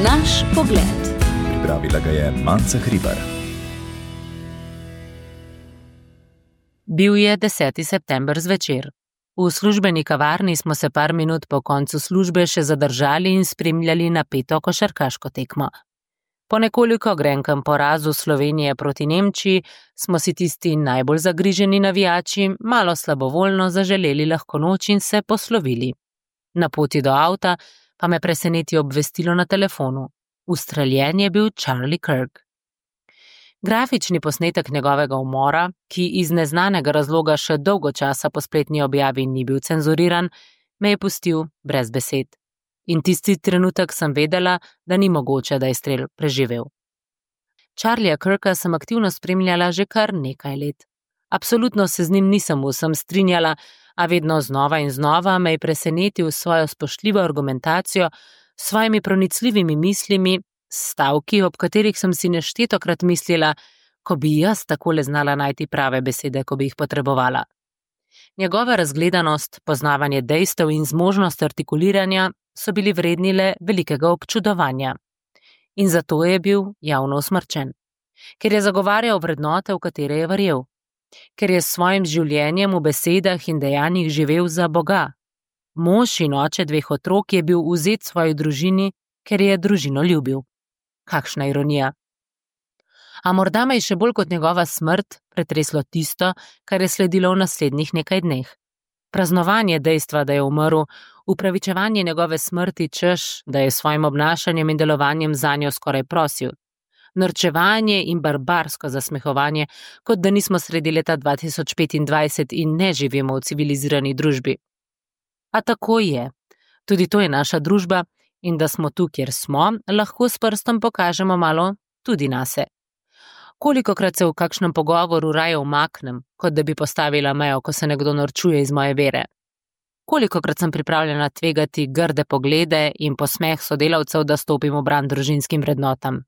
Naš pogled. Pripravila ga je Manca Hribar. Bil je 10. september zvečer. V službeni kavarni smo se par minut po koncu službe še zadržali in spremljali napeto košarkaško tekmo. Po nekoliko grenkem porazu Slovenije proti Nemčiji smo si tisti najbolj zagriženi navijači malo slabovoljno zaželeli lahko noč in se poslovili. Na poti do avta pa me preseneti obvestilo na telefonu. Ustreljen je bil Charlie Kirk. Grafični posnetek njegovega umora, ki iz neznanega razloga še dolgo časa po spletni objavi ni bil cenzuriran, me je pustil brez besed. In tisti trenutek sem vedela, da ni mogoče, da je strel preživel. Charlieja Kirka sem aktivno spremljala že kar nekaj let. Absolutno se z njim nisem vsem strinjala, a vedno znova in znova me je presenetil s svojo spoštljivo argumentacijo, s svojimi pronicljivimi mislimi, stavki, ob katerih sem si neštetokrat mislila, ko bi jaz takole znala najti prave besede, ko bi jih potrebovala. Njegova razgledanost, poznavanje dejstev in zmožnost artikuliranja so bili vredni le velikega občudovanja. In zato je bil javno usmrčen. Ker je zagovarjal vrednote, v katere je verjel. Ker je s svojim življenjem v besedah in dejanjih živel za Boga. Mož in oče 2 otrok je bil vzet svoji družini, ker je družino ljubil. Kakšna ironija. A morda me je še bolj kot njegova smrt pretreslo tisto, kar je sledilo v naslednjih nekaj dneh. Praznovanje dejstva, da je umrl, upravičevanje njegove smrti, češ, da je s svojim obnašanjem in delovanjem zanjo skoraj prosil. Norčevanje in barbarsko zasmehovanje, kot da nismo sredi leta 2025 in ne živimo v civilizirani družbi. A tako je. Tudi to je naša družba in da smo tu, kjer smo, lahko s prstom pokažemo malo tudi nase. Kolikokrat se v kakšnem pogovoru raje umaknem, kot da bi postavila mejo, ko se nekdo norčuje iz moje vere. Kolikokrat sem pripravljena tvegati grde poglede in posmeh sodelavcev, da stopim v bran družinskim vrednotam.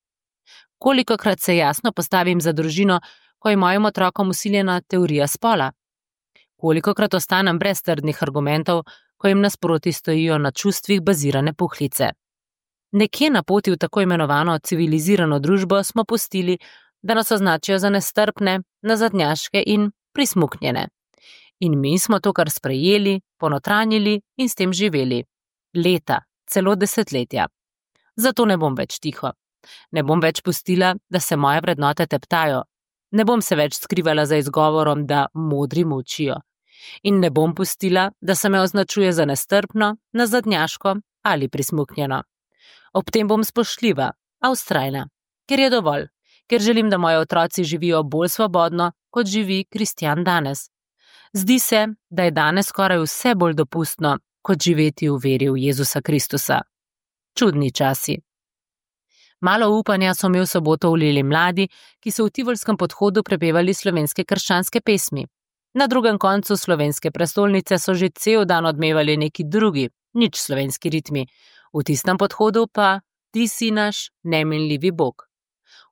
Kolikokrat se jasno postavim za družino, ko je mojim otrokom vsiljena teorija spola. Kolikokrat ostanem brez trdnih argumentov, ko jim nasproti stojijo na čustvih bazirane puhlice. Nekje na poti v tako imenovano civilizirano družbo smo pustili, da nas označijo za nestrpne, nazadnjaške in prismuknjene. In mi smo to kar sprejeli, ponotranjili in s tem živeli. Leta, celo desetletja. Zato ne bom več tiho. Ne bom več pustila, da se moje vrednote teptajo. Ne bom se več skrivala za izgovorom, da modri molčijo. In ne bom pustila, da se me označuje za nestrpno, nazadnjaško ali prismuknjeno. Ob tem bom spoštljiva, a vztrajna, ker je dovolj. Ker želim, da moji otroci živijo bolj svobodno, kot živi kristjan danes. Zdi se, da je danes skoraj vse bolj dopustno, kot živeti v veri v Jezusa Kristusa. Čudni časi. Malo upanja so mi v soboto vlili mladi, ki so v Tivolskem podhodu prepevali slovenske krščanske pesmi. Na drugem koncu slovenske prestolnice so že cel dan odmevali neki drugi, nič slovenski ritmi. V tistem podhodu pa ti si naš neminljivi Bog.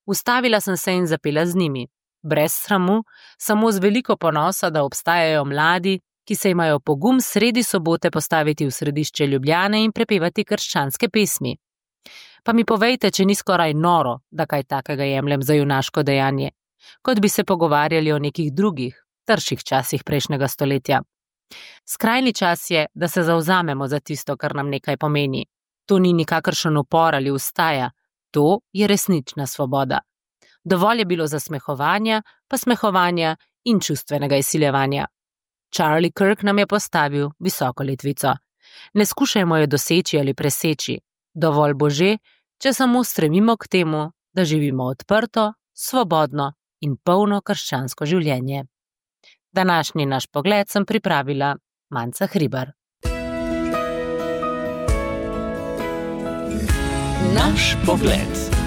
Ustavila sem se in zapela z njimi. Brez sramu, samo z veliko ponosa, da obstajajo mladi, ki se imajo pogum sredi sobote postaviti v središče Ljubljane in prepevati krščanske pesmi. Pa mi povejte, če ni skoraj noro, da kaj takega jemljem za junaško dejanje, kot bi se pogovarjali o nekih drugih, trših časih prejšnjega stoletja. Skrajni čas je, da se zavzamemo za tisto, kar nam nekaj pomeni. To ni nikakršen upor ali ustaja. To je resnična svoboda. Dovolj je bilo zasmehovanja, pa smehovanja in čustvenega izsiljevanja. Charlie Kirk nam je postavil visoko letvico. Ne skušajmo jo doseči ali preseči. Dovolj bo že, če samo stremimo k temu, da živimo odprto, svobodno in polno krščansko življenje. Današnji naš pogled sem pripravila Manca Hribar. Naš pogled.